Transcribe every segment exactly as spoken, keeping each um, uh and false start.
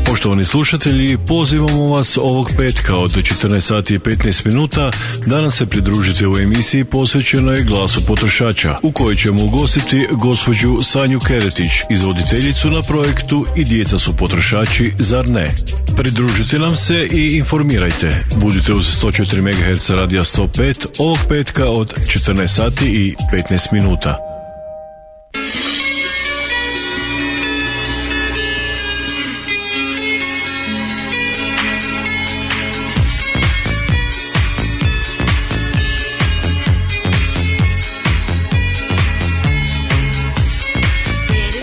Poštovani slušatelji, pozivamo vas ovog petka od četrnaest sati i petnaest minuta da nam se pridružite u emisiji posvećenoj glasu potrošača, u kojoj ćemo ugostiti gospođu Sanju Keretić, izvoditeljicu na projektu I djeca su potrošači, zar ne? Pridružite nam se i informirajte. Budite uz sto četiri megaherca radija sto pet ovog petka od četrnaest sati i petnaest minuta.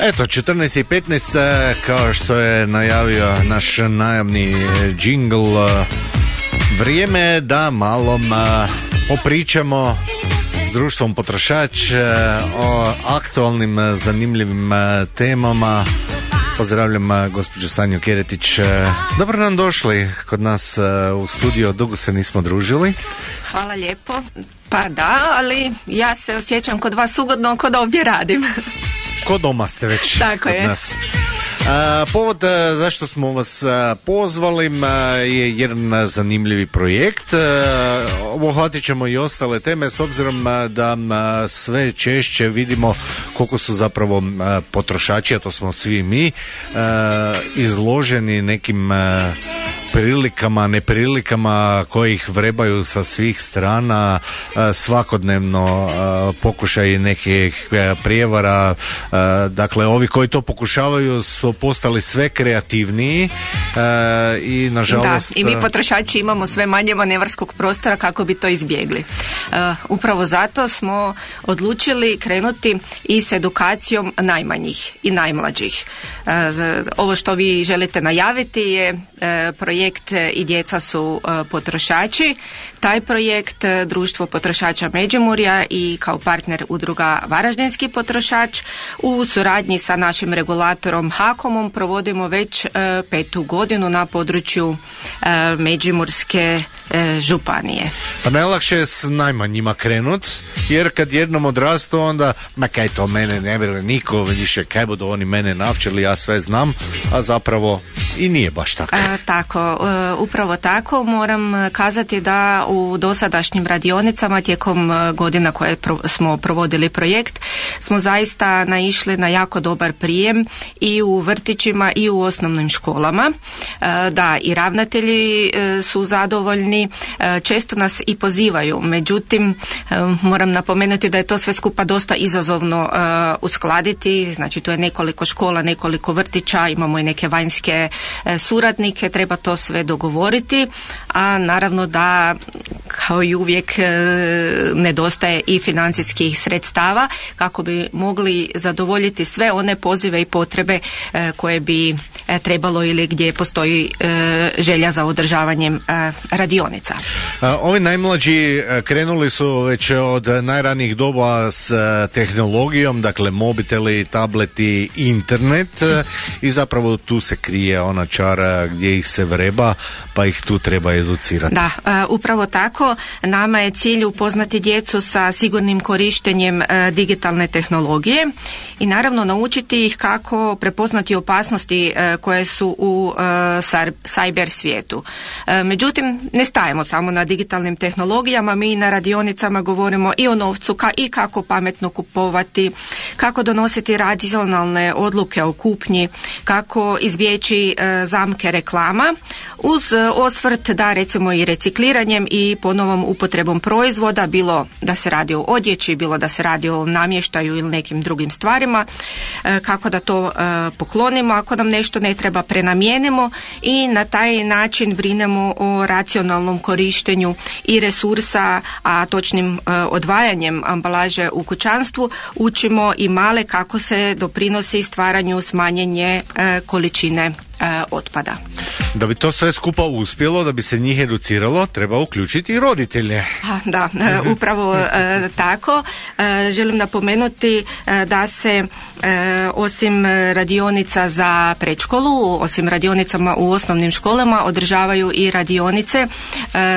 Eto, četrnaest i petnaest, kao što je najavio naš najavni džingl, vrijeme je da malo popričamo s društvom potrošač o aktualnim zanimljivim temama. Pozdravljam gospođu Sanju Keretić. Dobro nam došli kod nas u studio, dugo se nismo družili. Hvala lijepo. Pa da, ali ja se osjećam kod vas ugodno, kod ovdje radim. Ko doma ste već. Tako kod je. Nas. A, povod a, zašto smo vas a, pozvali a, je jedan zanimljivi projekt. A, obuhvatit ćemo i ostale teme s obzirom a, da a, sve češće vidimo koliko su zapravo a, potrošači, a to smo svi mi, a, izloženi nekim a, prilikama, neprilikama koji ih vrebaju sa svih strana, svakodnevno pokušaj nekih prijevara. Dakle, ovi koji to pokušavaju su postali sve kreativniji i nažalost... Da, i mi potrošači imamo sve manje manevarskog prostora kako bi to izbjegli. Upravo zato smo odlučili krenuti i s edukacijom najmanjih i najmlađih. Ovo što vi želite najaviti je projekt I djeca su potrošači. Taj projekt Društvo potrošača Međimurja i kao partner udruga Varaždinski potrošač u suradnji sa našim regulatorom HAKOM-om provodimo već petu godinu na području Međimurske županije. Pa najlakše je s najmanjima krenut, jer kad jednom odrastu onda, ma kaj to mene ne vjeruje niko, više kaj budu oni mene navčili, ja sve znam, a zapravo i nije baš tako. A, tako, upravo tako. Moram kazati da u dosadašnjim radionicama tijekom godina koje smo provodili projekt smo zaista naišli na jako dobar prijem i u vrtićima i u osnovnim školama. Da, i ravnatelji su zadovoljni, često nas i pozivaju, međutim moram napomenuti da je to sve skupa dosta izazovno uskladiti, znači tu je nekoliko škola, nekoliko vrtića, imamo i neke vanjske suradnike, treba to sve dogovoriti, a naravno da kao i uvijek nedostaje i financijskih sredstava kako bi mogli zadovoljiti sve one pozive i potrebe koje bi trebalo ili gdje postoji želja za održavanjem radionica. Ovi najmlađi krenuli su već od najranijih doba s tehnologijom, dakle mobiteli, tableti, internet i zapravo tu se krije ona čara gdje ih se vreba, pa ih tu treba educirati. Da, upravo tako. Nama je cilj upoznati djecu sa sigurnim korištenjem digitalne tehnologije i naravno naučiti ih kako prepoznati opasnosti koje su u cyber svijetu. Međutim, ne stajemo samo na digitalnim tehnologijama, mi na radionicama govorimo i o novcu ka, i kako pametno kupovati, kako donositi racionalne odluke o kupnji, kako izbjeći e, zamke reklama, uz osvrt da recimo i recikliranjem i ponovom upotrebom proizvoda, bilo da se radi o odjeći, bilo da se radi o namještaju ili nekim drugim stvarima, e, kako da to e, poklonimo ako nam nešto ne treba, prenamijenimo i na taj način brinemo o racionalnom korištenju i resursa, a točnim e, odvajanjem ambalaže u kućanstvu učimo i male kako se doprinosi stvaranju smanjenje e, količine e, otpada. Da bi to sve skupa uspjelo, da bi se njih educiralo, treba uključiti i roditelje. Da, e, upravo e, tako. E, želim napomenuti e, da se e, osim radionica za predškolu, osim radionicama u osnovnim školama, održavaju i radionice e,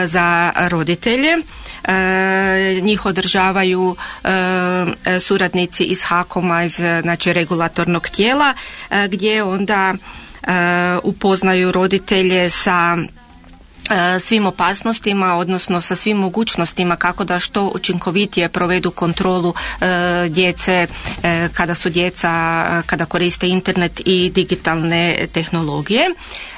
za roditelje. E, njih održavaju e, suradnici iz HAKOM-a, iz znači regulatornog tijela, e, gdje onda upoznaju roditelje sa svim opasnostima, odnosno sa svim mogućnostima kako da što učinkovitije provedu kontrolu e, djece e, kada su djeca, kada koriste internet i digitalne tehnologije.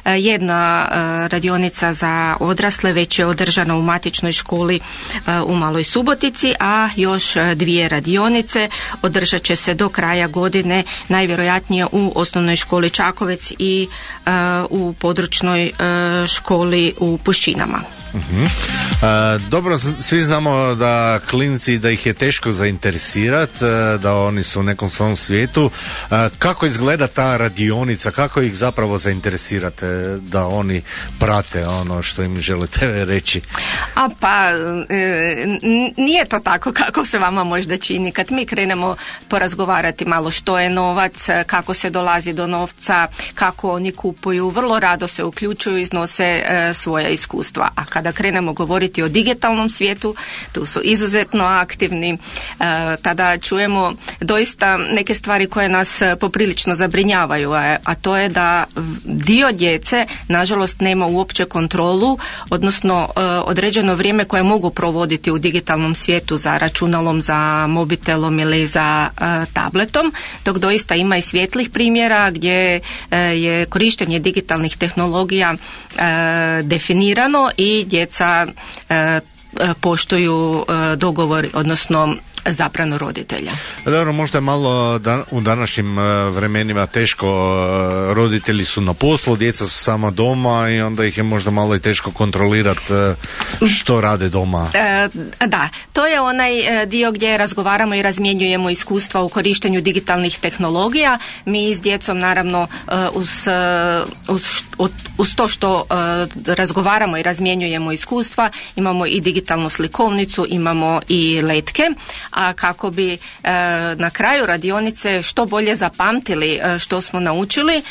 E, jedna e, radionica za odrasle već je održana u matičnoj školi e, u Maloj Subotici, a još dvije radionice održat će se do kraja godine, najvjerojatnije u osnovnoj školi Čakovec i e, u područnoj e, školi u Pušćinama. Uh-huh. E, dobro, svi znamo da klinci, da ih je teško zainteresirati, da oni su u nekom svom svijetu. E, kako izgleda ta radionica, kako ih zapravo zainteresirate da oni prate ono što im želite reći? A pa e, nije to tako kako se vama možda čini. Kad mi krenemo porazgovarati malo što je novac, kako se dolazi do novca, kako oni kupuju, vrlo rado se uključuju, iznose e, svoja iskustva. A kada krenemo govoriti o digitalnom svijetu, tu su izuzetno aktivni, e, tada čujemo doista neke stvari koje nas poprilično zabrinjavaju, a, a to je da dio djece nažalost nema uopće kontrolu, odnosno e, određeno vrijeme koje mogu provoditi u digitalnom svijetu za računalom, za mobitelom ili za e, tabletom, dok doista ima i svijetlih primjera gdje e, je korištenje digitalnih tehnologija e, definirano i djeca e, poštuju e, dogovor, odnosno zabranu roditelja. Dobro, možda je malo dan, u današnjim vremenima teško, roditelji su na poslu, djeca su sama doma i onda ih je možda malo i teško kontrolirati što rade doma. E, da, to je onaj dio gdje razgovaramo i razmjenjujemo iskustva u korištenju digitalnih tehnologija. Mi s djecom naravno uz, uz, uz to što razgovaramo i razmjenjujemo iskustva, imamo i digitalnu slikovnicu, imamo i letke, a kako bi e, na kraju radionice što bolje zapamtili e, što smo naučili, e,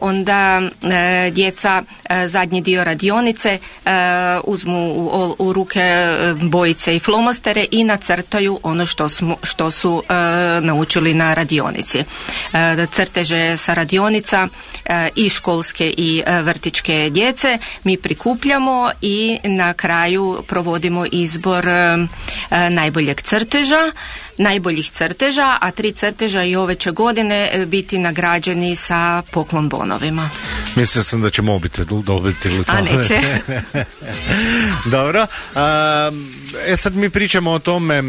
onda e, djeca e, zadnji dio radionice e, uzmu u, u ruke bojice i flomostere i nacrtaju ono što, smo, što su e, naučili na radionici. E, crteže sa radionica e, i školske i e, vrtićke djece mi prikupljamo i na kraju provodimo izbor e, najboljeg crteža, najboljih crteža, a tri crteža i ove će godine biti nagrađeni sa poklon bonovima. Mislio sam da će mobitel dobiti ili to. A neće. Dobro. E sad mi pričamo o tome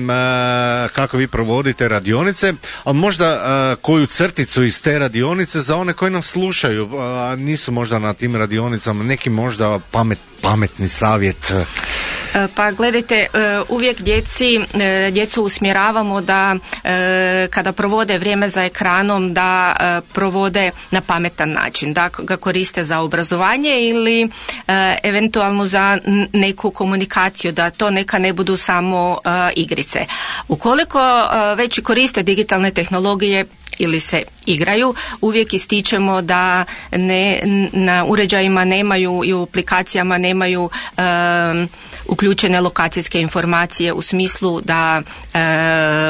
kako vi provodite radionice, a možda koju crticu iz te radionice za one koji nas slušaju, a nisu možda na tim radionicama, neki možda pamet, pametni savjet. Pa gledajte, uvijek djeci, djecu usmjeravamo da kada provode vrijeme za ekranom da provode na pametan način, da ga koriste za obrazovanje ili eventualno za neku komunikaciju, da to neka ne budu samo igrice. Ukoliko već koriste digitalne tehnologije ili se igraju, uvijek ističemo da ne, na uređajima nemaju i u aplikacijama nemaju um, uključene lokacijske informacije u smislu da uh,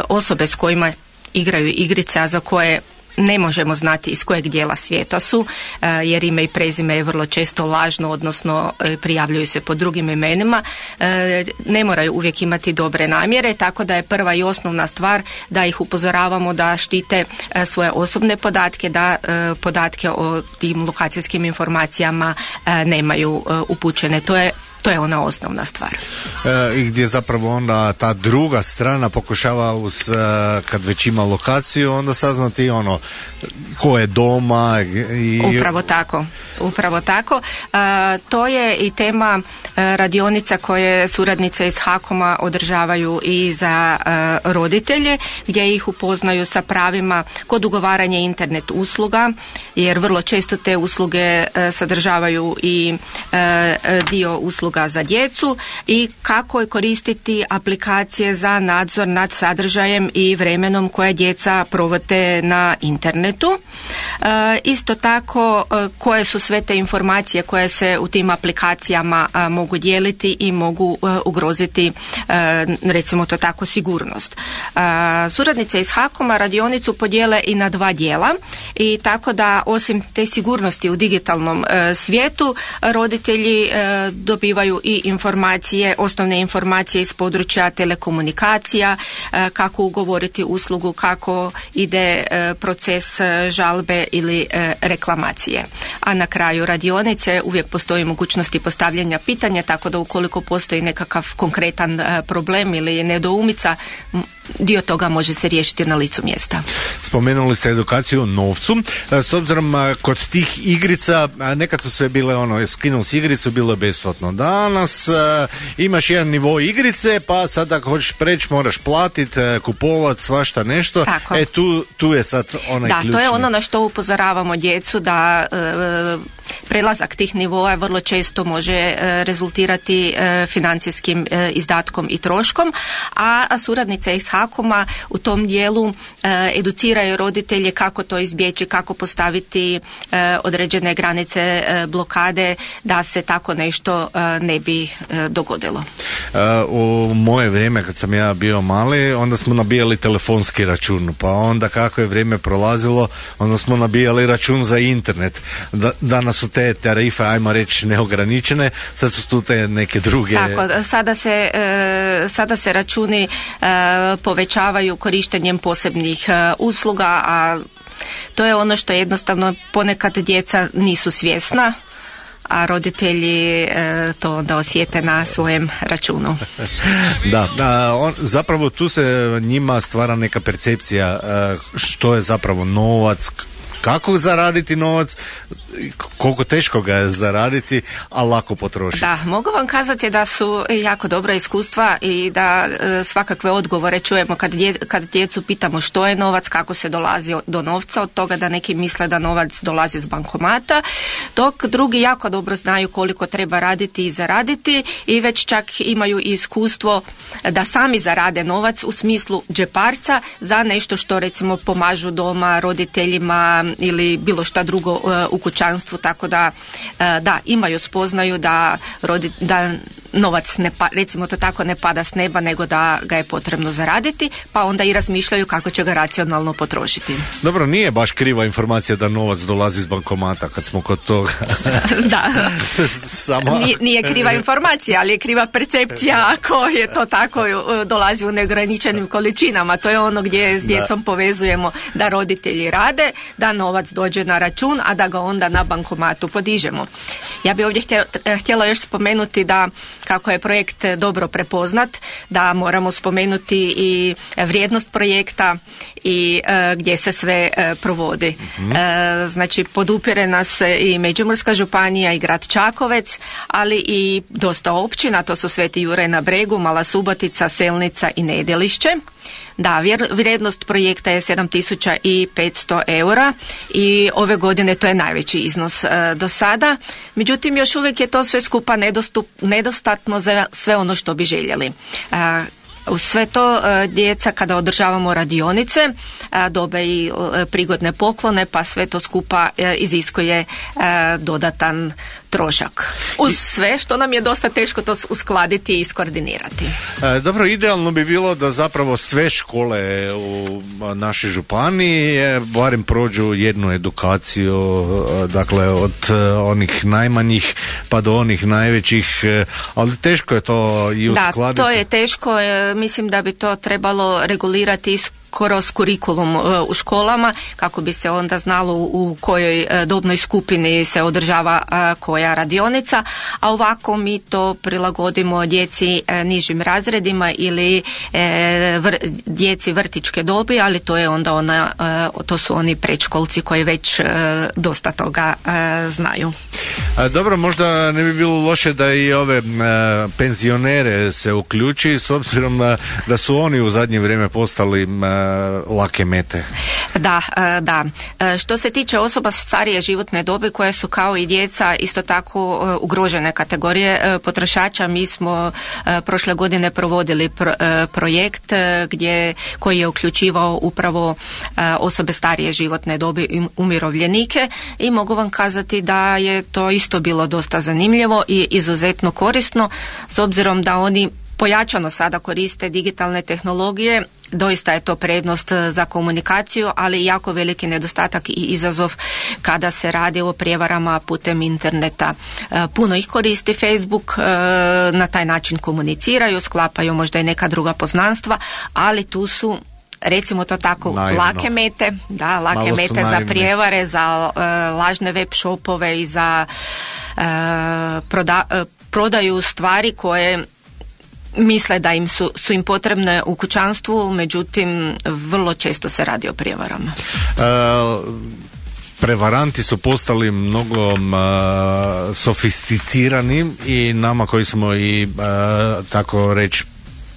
osobe s kojima igraju igrice, a za koje ne možemo znati iz kojeg dijela svijeta su, jer ime i prezime je vrlo često lažno, odnosno prijavljuju se pod drugim imenima. Ne moraju uvijek imati dobre namjere, tako da je prva i osnovna stvar da ih upozoravamo da štite svoje osobne podatke, da podatke o tim lokacijskim informacijama nemaju upućene. To je To je ona osnovna stvar. E, I gdje zapravo onda ta druga strana pokušava uz, kad već ima lokaciju, onda saznati ono ko je doma. I... Upravo tako. Upravo tako. E, to je i tema e, radionica koje suradnice iz HAKOM-a održavaju i za e, roditelje, gdje ih upoznaju sa pravima kod ugovaranja internet usluga, jer vrlo često te usluge e, sadržavaju i e, dio usluga usluga za djecu i kako je koristiti aplikacije za nadzor nad sadržajem i vremenom koje djeca provode na internetu. E, isto tako e, koje su sve te informacije koje se u tim aplikacijama a, mogu dijeliti i mogu e, ugroziti e, recimo to tako sigurnost. E, suradnice iz HAKOM-a radionicu podijele i na dva dijela i tako da osim te sigurnosti u digitalnom e, svijetu roditelji e, dobivaju i informacije, osnovne informacije iz područja telekomunikacija, e, kako ugovoriti uslugu, kako ide e, proces e, žalbe ili e, reklamacije. A na kraju radionice uvijek postoji mogućnosti postavljanja pitanja, tako da ukoliko postoji nekakav konkretan e, problem ili nedoumica, dio toga može se riješiti na licu mjesta. Spomenuli ste edukaciju o novcu. S obzirom kod tih igrica, nekad su sve bile ono, skinuo si igricu, bilo je besplatno. Danas a, imaš jedan nivo igrice, pa sad ako hoćeš preći moraš platiti, kupovati svašta nešto. Tako. E tu, tu je sad onaj da, ključni. Da, to je ono na što upozoravamo djecu, da e, prelazak tih nivoa vrlo često može e, rezultirati e, financijskim e, izdatkom i troškom, a, a suradnice iz HAKOM-a u tom dijelu e, educiraju roditelje kako to izbjeći, kako postaviti e, određene granice e, blokade da se tako nešto e, ne bi e, dogodilo. E, u moje vrijeme kad sam ja bio mali, onda smo nabijali telefonski račun, pa onda kako je vrijeme prolazilo, onda smo nabijali račun za internet. Da, danas su te tarife, ajmo reći, neograničene, sad su tu te neke druge. Tako, sada se, e, sada se računi e, povećavaju korištenjem posebnih e, usluga, a to je ono što jednostavno ponekad djeca nisu svjesna, a roditelji e, to onda osjete na svojem računu. Da, da on, zapravo tu se njima stvara neka percepcija e, što je zapravo novac, kako zaraditi novac, koliko teško ga je zaraditi, a lako potrošiti. Da, mogu vam kazati da su jako dobra iskustva i da e, svakakve odgovore čujemo kad, dje, kad djecu pitamo što je novac, kako se dolazi do novca, od toga da neki misle da novac dolazi s bankomata, dok drugi jako dobro znaju koliko treba raditi i zaraditi i već čak imaju iskustvo da sami zarade novac u smislu džeparca za nešto što recimo pomažu doma, roditeljima ili bilo šta drugo e, u kućanstvu, tako da e, da, imaju spoznaju da, rodi, da novac ne pa, recimo to tako ne pada s neba, nego da ga je potrebno zaraditi, pa onda i razmišljaju kako će ga racionalno potrošiti. Dobro, nije baš kriva informacija da novac dolazi iz bankomata kad smo kod toga. Da. Samo... Nije, nije kriva informacija, ali je kriva percepcija ako je to tako dolazi u neograničenim količinama. To je ono gdje s djecom da. Povezujemo da roditelji rade, da novac dođe na račun, a da ga onda na bankomatu podižemo. Ja bih ovdje htjela, htjela još spomenuti da kako je projekt dobro prepoznat, da moramo spomenuti i vrijednost projekta i e, gdje se sve e, provodi. Mm-hmm. E, znači podupire nas i Međimurska županija i grad Čakovec, ali i dosta općina, to su Sveti Juraj na Bregu, Mala Subotica, Selnica i Nedelišće. Da, vrijednost projekta je sedam tisuća petsto eura i ove godine to je najveći iznos e, do sada. Međutim, još uvijek je to sve skupa nedostup, nedostatno za sve ono što bi željeli. E, Uz sve to djeca kada održavamo radionice dobe i prigodne poklone, pa sve to skupa iziskuje dodatan trošak. Uz sve što nam je dosta teško to uskladiti i iskoordinirati. E, dobro, idealno bi bilo da zapravo sve škole u našoj županiji barem prođu jednu edukaciju, dakle od onih najmanjih pa do onih najvećih, ali teško je to i uskladiti. Da, to je teško. Mislim da bi to trebalo regulirati kroz kurikulum u školama, kako bi se onda znalo u kojoj dobnoj skupini se održava koja radionica, a ovako mi to prilagodimo djeci nižim razredima ili vr, djeci vrtićke dobi, ali to je onda ona, to su oni predškolci koji već dosta toga znaju. A dobro, možda ne bi bilo loše da i ove a, penzionere se uključi, s obzirom na, da su oni u zadnje vrijeme postali a, lake mete. Da, da. Što se tiče osoba starije životne dobi koje su kao i djeca isto tako ugrožene kategorije potrošača, mi smo prošle godine provodili pro, projekt gdje, koji je uključivao upravo osobe starije životne dobi i umirovljenike i mogu vam kazati da je to isto bilo dosta zanimljivo i izuzetno korisno s obzirom da oni pojačano sada koriste digitalne tehnologije. Doista je to prednost za komunikaciju, ali jako veliki nedostatak i izazov kada se radi o prijevarama putem interneta. Puno ih koristi Facebook, na taj način komuniciraju, sklapaju možda i neka druga poznanstva, ali tu su, recimo to tako, naivno. lake mete, da, lake Malo mete za prijevare, za uh, lažne web shopove i za uh, proda, uh, prodaju stvari koje misle da im su, su im potrebne u kućanstvu, međutim vrlo često se radi o prijevarama. Uh, prevaranti su postali mnogo uh, sofisticirani i nama koji smo i uh, tako reći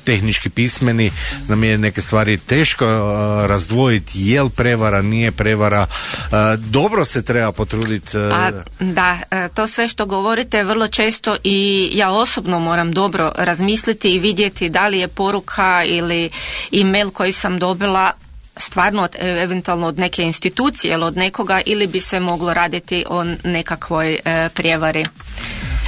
tehnički pismeni, nam je neke stvari teško uh, razdvojiti je li prevara, nije prevara. Uh, dobro se treba potruditi. Uh... Pa, da, to sve što govorite vrlo često i ja osobno moram dobro razmisliti i vidjeti da li je poruka ili e-mail koji sam dobila stvarno od, eventualno od neke institucije ili od nekoga, ili bi se moglo raditi o nekakvoj e, prijevari.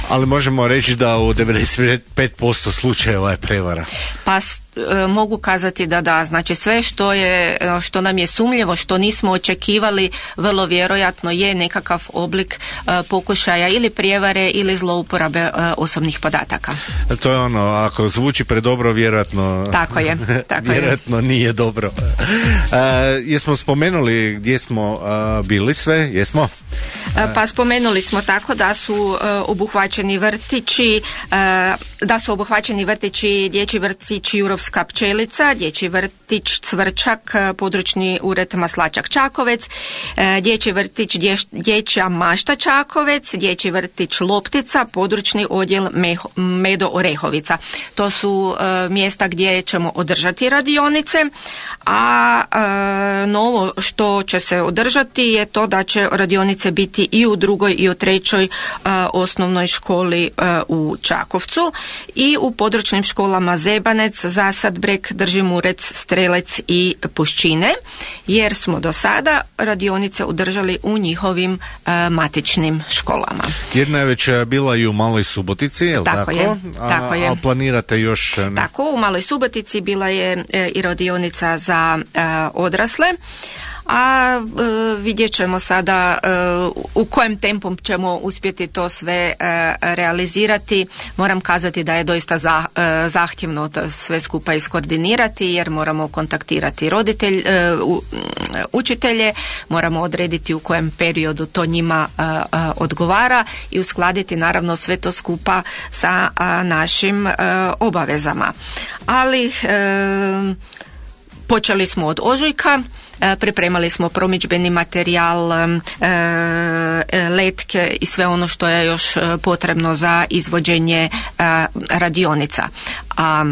Ali možemo reći da u devedeset pet posto slučajeva je prevara. Pa e, mogu kazati da da, znači sve što je, što nam je sumnjivo, što nismo očekivali, vrlo vjerojatno je nekakav oblik e, pokušaja ili prijevare ili zlouporabe e, osobnih podataka. To je ono, ako zvuči predobro, vjerojatno tako je, tako vjerojatno je. Nije dobro. E, jesmo spomenuli gdje smo a, bili sve? Jesmo? E, pa spomenuli smo tako da su e, obuhvaćeni vrtići, e, da su obuhvaćeni vrtići, dječji vrtić Jurovska pčelica, dječji vrtić Cvrčak, područni ured Maslačak Čakovec, e, dječji vrtić dješ, Dječja Mašta Čakovec, dječji vrtić Loptica, područni odjel Meho, Medo Orehovica. To su e, mjesta gdje ćemo održati radionice, a e, novo što će se održati je to da će radionice biti i u drugoj i u trećoj uh, osnovnoj školi uh, u Čakovcu i u područnim školama Zebanec, Zasadbreg, Držimurec, Strelec i Puščine, jer smo do sada radionice održali u njihovim uh, matičnim školama. Jedna je već bila i u Maloj Subotici, je li tako? Tako je, tako a, je. A planirate još? Ne? Tako, u Maloj Subotici bila je uh, i radionica za uh, odrasle, a e, vidjet ćemo sada e, u kojem tempom ćemo uspjeti to sve e, realizirati. Moram kazati da je doista za, e, zahtjevno to sve skupa iskoordinirati, jer moramo kontaktirati roditelj, e, u, učitelje, moramo odrediti u kojem periodu to njima e, e, odgovara i uskladiti naravno sve to skupa sa a, našim e, obavezama. Ali e, počeli smo od ožujka. Pripremali smo promidžbeni materijal, letke i sve ono što je još potrebno za izvođenje radionica. A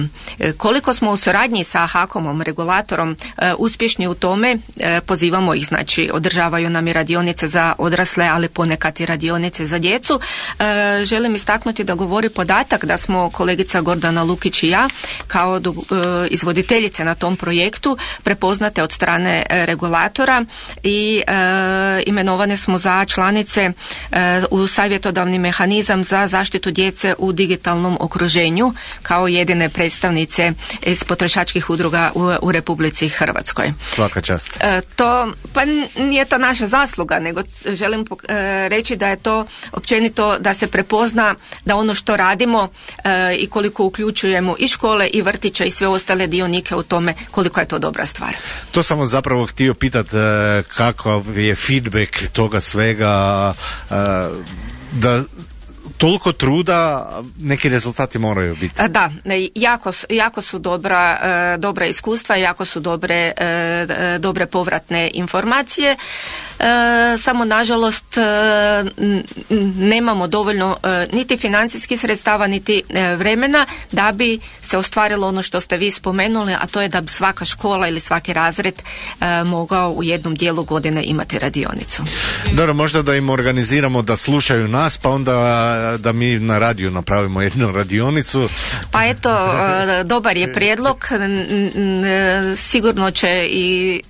koliko smo u suradnji sa HAKOM-om, regulatorom, uspješni u tome, pozivamo ih, znači održavaju nam i radionice za odrasle, ali ponekad i radionice za djecu. Želim istaknuti da govori podatak da smo kolegica Gordana Lukić i ja kao izvoditeljice na tom projektu prepoznate od strane regulatora i e, imenovane smo za članice e, u savjetodavni mehanizam za zaštitu djece u digitalnom okruženju kao jedine predstavnice iz potrošačkih udruga u, u Republici Hrvatskoj. Svaka čast. E, to, pa nije to naša zasluga, nego želim e, reći da je to općenito da se prepozna da ono što radimo e, i koliko uključujemo i škole i vrtiće i sve ostale dionike u tome, koliko je to dobra stvar. To samo zapravo htio pitati kakav je feedback toga svega, da toliko truda, neki rezultati moraju biti. Da, jako, jako su dobra, dobra iskustva, jako su dobre, dobre povratne informacije. E, samo nažalost e, nemamo dovoljno e, niti financijskih sredstava niti e, vremena da bi se ostvarilo ono što ste vi spomenuli, a to je da bi svaka škola ili svaki razred e, mogao u jednom dijelu godine imati radionicu. Dobro, možda da im organiziramo da slušaju nas, pa onda da mi na radiju napravimo jednu radionicu. Pa eto, e, dobar je prijedlog, sigurno će i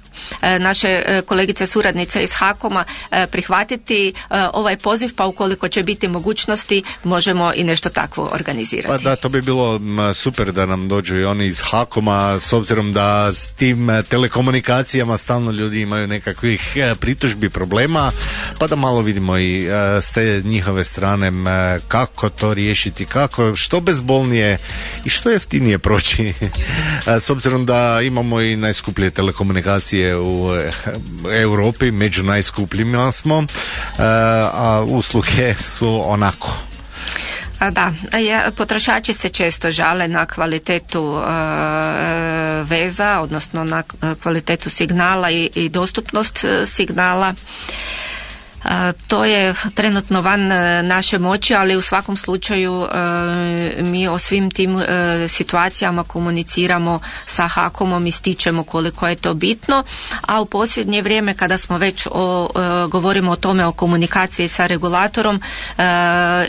naše kolegice suradnice iz HAKOM-a prihvatiti ovaj poziv, pa ukoliko će biti mogućnosti možemo i nešto takvo organizirati. Pa da, to bi bilo super da nam dođu i oni iz HAKOM-a, s obzirom da s tim telekomunikacijama stalno ljudi imaju nekakvih pritužbi, problema, pa da malo vidimo i s te njihove strane kako to riješiti, kako, što bezbolnije i što jeftinije proći. S obzirom da imamo i najskuplje telekomunikacije u Europi, među najskupljima smo, a usluge su onako. A da, potrošači se često žale na kvalitetu e, veza, odnosno na kvalitetu signala i, i dostupnost signala. To je trenutno van naše moći, ali u svakom slučaju mi o svim tim situacijama komuniciramo sa HAKOM-om, ističemo koliko je to bitno, a u posljednje vrijeme kada smo već o, govorimo o tome o komunikaciji sa regulatorom,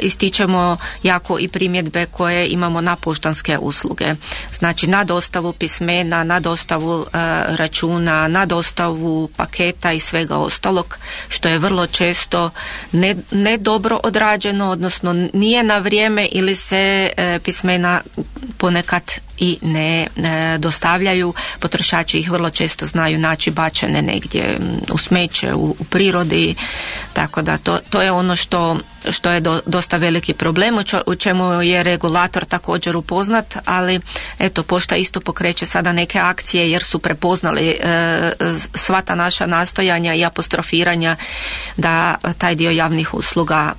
ističemo jako i primjedbe koje imamo na poštanske usluge. Znači na dostavu pismena, na dostavu računa, na dostavu paketa i svega ostalog, što je vrlo često ne, ne dobro odrađeno, odnosno nije na vrijeme ili se e, pismena ponekad i ne e, dostavljaju. Potrošači ih vrlo često znaju naći bačene negdje u smeće, u, u prirodi, tako da to, to je ono što, što je do, dosta veliki problem, u, čo, u čemu je regulator također upoznat, ali eto, pošta isto pokreće sada neke akcije jer su prepoznali e, sva ta naša nastojanja i apostrofiranja da taj dio javnih usluga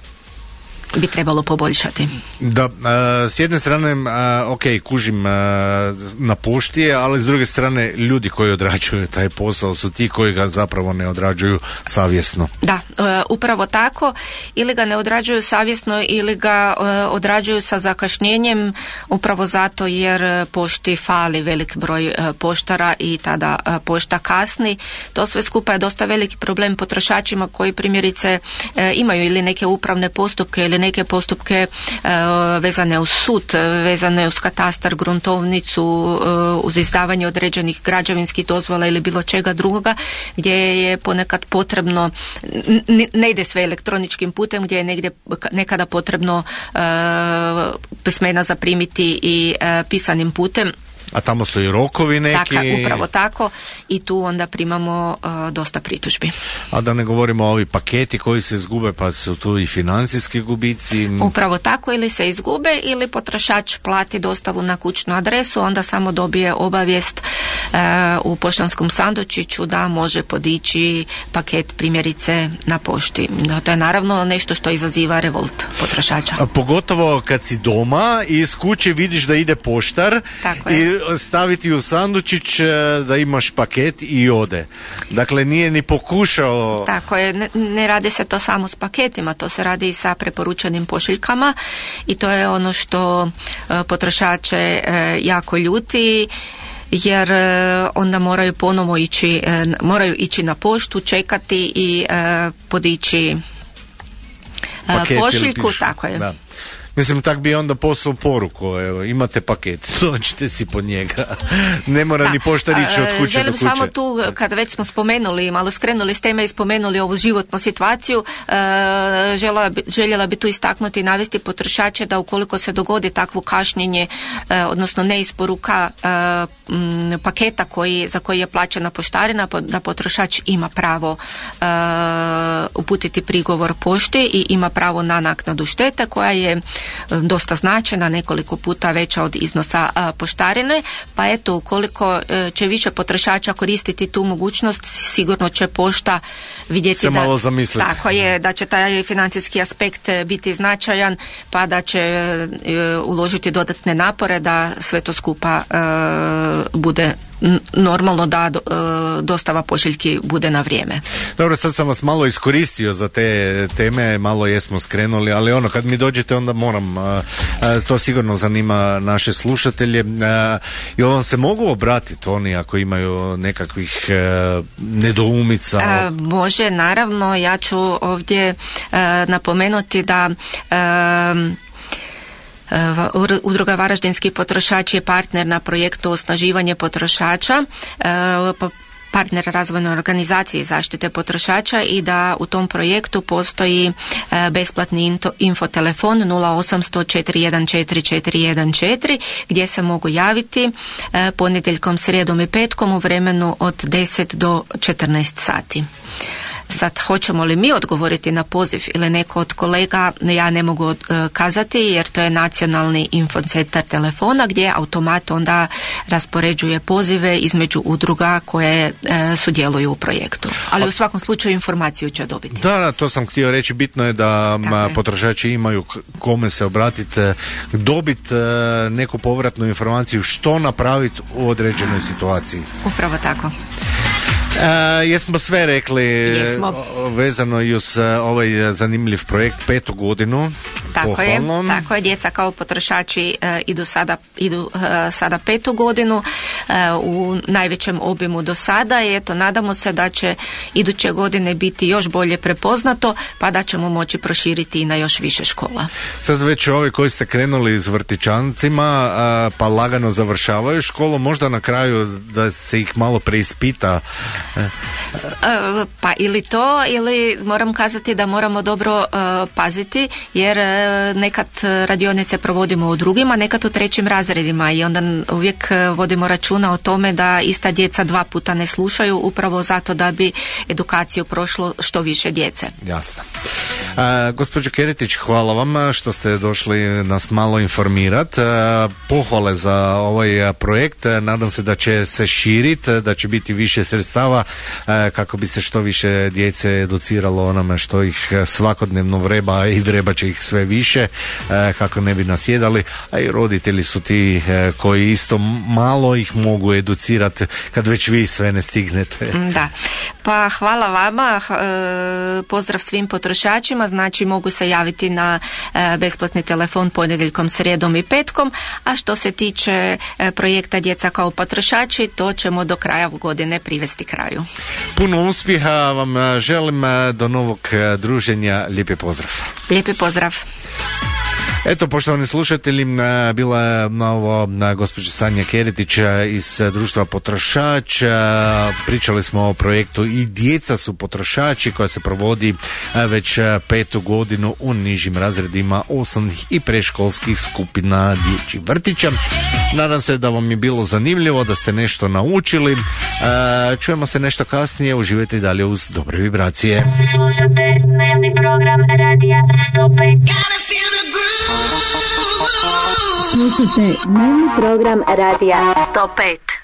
bi trebalo poboljšati. Da, uh, s jedne strane, uh, ok, kužim uh, na pošti, ali s druge strane ljudi koji odrađuju taj posao su ti koji ga zapravo ne odrađuju savjesno. Da, uh, upravo tako, ili ga ne odrađuju savjesno ili ga uh, odrađuju sa zakašnjenjem, upravo zato jer pošti fali velik broj uh, poštara i tada uh, pošta kasni. To sve skupa je dosta veliki problem potrošačima koji primjerice uh, imaju ili neke upravne postupke ili neke postupke e, vezane uz sud, vezane uz katastar, gruntovnicu, e, uz izdavanje određenih građevinskih dozvola ili bilo čega drugoga, gdje je ponekad potrebno, n- ne ide sve elektroničkim putem, gdje je negdje nekada potrebno e, pismena zaprimiti i e, pisanim putem. A tamo su i rokovi neki. Tako, upravo tako, i tu onda primamo uh, dosta pritužbi. A da ne govorimo o ovi paketi koji se izgube, pa su tu i financijski gubici. Upravo tako, ili se izgube ili potrošač plati dostavu na kućnu adresu, onda samo dobije obavijest uh, u poštanskom sandučiću da može podići paket primjerice na pošti. No, to je naravno nešto što izaziva revolt potrošača. A pogotovo kad si doma i iz kuće vidiš da ide poštar i staviti u sandučić da imaš paket i ode. Dakle, nije ni pokušao. Tako je, ne, ne radi se to samo s paketima, to se radi i sa preporučenim pošiljkama i to je ono što e, potrošače e, jako ljuti, jer e, onda moraju ponovo ići, e, moraju ići na poštu, čekati i e, podići e, pošiljku, tako je. Da. Mislim, tak bi onda poslao poruku, evo, imate paket, dođite si po njega. Ne mora da. Ni poštar ići od kuće Želim do kuće. samo tu, kada već smo spomenuli, malo skrenuli s teme i spomenuli ovu životnu situaciju, željela bi, željela bi tu istaknuti i navesti potrošače da ukoliko se dogodi takvo kašnjenje, odnosno neisporuka paketa koji, za koji je plaćena poštarina, da potrošač ima pravo uputiti prigovor pošti i ima pravo na naknadu štete koja je dosta značajna, nekoliko puta veća od iznosa a, poštarine, pa eto, ukoliko e, će više potrošača koristiti tu mogućnost, sigurno će pošta vidjeti se da, malo zamisliti. Tako je, da će taj financijski aspekt biti značajan, pa da će e, uložiti dodatne napore da sve to skupa e, bude normalno da dostava pošiljki bude na vrijeme. Dobro, sad sam vas malo iskoristio za te teme, malo jesmo skrenuli, ali ono, kad mi dođete onda moram, to sigurno zanima naše slušatelje. I vam se mogu obratiti oni ako imaju nekakvih nedoumica? A, može, naravno, ja ću ovdje a, napomenuti da a, Udruga Varaždinski potrošači je partner na projektu Osnaživanje potrošača, partner razvojne organizacije zaštite potrošača i da u tom projektu postoji besplatni infotelefon nula osamsto četiri jedan četiri četiri jedan četiri gdje se mogu javiti ponedjeljkom, srijedom i petkom u vremenu od deset do četrnaest sati. Sad, hoćemo li mi odgovoriti na poziv ili neko od kolega, ja ne mogu uh, kazati, jer to je nacionalni infocentar telefona gdje automat onda raspoređuje pozive između udruga koje uh, sudjeluju u projektu. Ali u svakom slučaju informaciju će dobiti. Da, da, to sam htio reći. Bitno je da ma, potrošači imaju kome se obratiti, dobiti uh, neku povratnu informaciju što napraviti u određenoj situaciji. Upravo tako. Uh, jesmo sve rekli jesmo. Vezano i uz uh, ovaj zanimljiv projekt, petu godinu. Tako je, tako je, djeca kao potrošači uh, idu, sada, idu uh, sada petu godinu uh, u najvećem obimu do sada i eto, nadamo se da će iduće godine biti još bolje prepoznato, pa da ćemo moći proširiti i na još više škola. Sad već ovi koji ste krenuli s vrtićancima uh, pa lagano završavaju školu, možda na kraju da se ih malo preispita. Uh, pa ili to, ili moram kazati da moramo dobro uh, paziti, jer uh, nekad radionice provodimo u drugima, nekad u trećim razredima i onda uvijek uh, vodimo računa o tome da ista djeca dva puta ne slušaju, upravo zato da bi edukaciju prošlo što više djece. Jasno. Uh, gospođo Keretić, hvala vam što ste došli nas malo informirati. Uh, pohvale za ovaj projekt. Nadam se da će se širiti, da će biti više sredstava kako bi se što više djece educiralo onome što ih svakodnevno vreba i vreba će ih sve više, kako ne bi nasjedali, a i roditelji su ti koji isto malo ih mogu educirati kad već vi sve ne stignete. Da, pa hvala vama, pozdrav svim potrošačima, znači mogu se javiti na besplatni telefon ponedjeljkom, srijedom i petkom, a što se tiče projekta Djeca kao potrošači, to ćemo do kraja godine privesti kraju. Puno uspjeha vam želim, do novog druženja, lijepi pozdrav. Lijepi pozdrav. Eto, poštovani slušatelji, bila je ovo gospođa Sanja Keretić iz društva potrošača. Pričali smo o projektu I djeca su potrošači koja se provodi već petu godinu u nižim razredima osnovnih i predškolskih skupina dječjih vrtića. Nadam se da vam je bilo zanimljivo, da ste nešto naučili. Čujemo se nešto kasnije, uživajte i dalje uz dobre vibracije. Slušate dnevni program radija sto pet. Slušate dnevni program radija sto pet.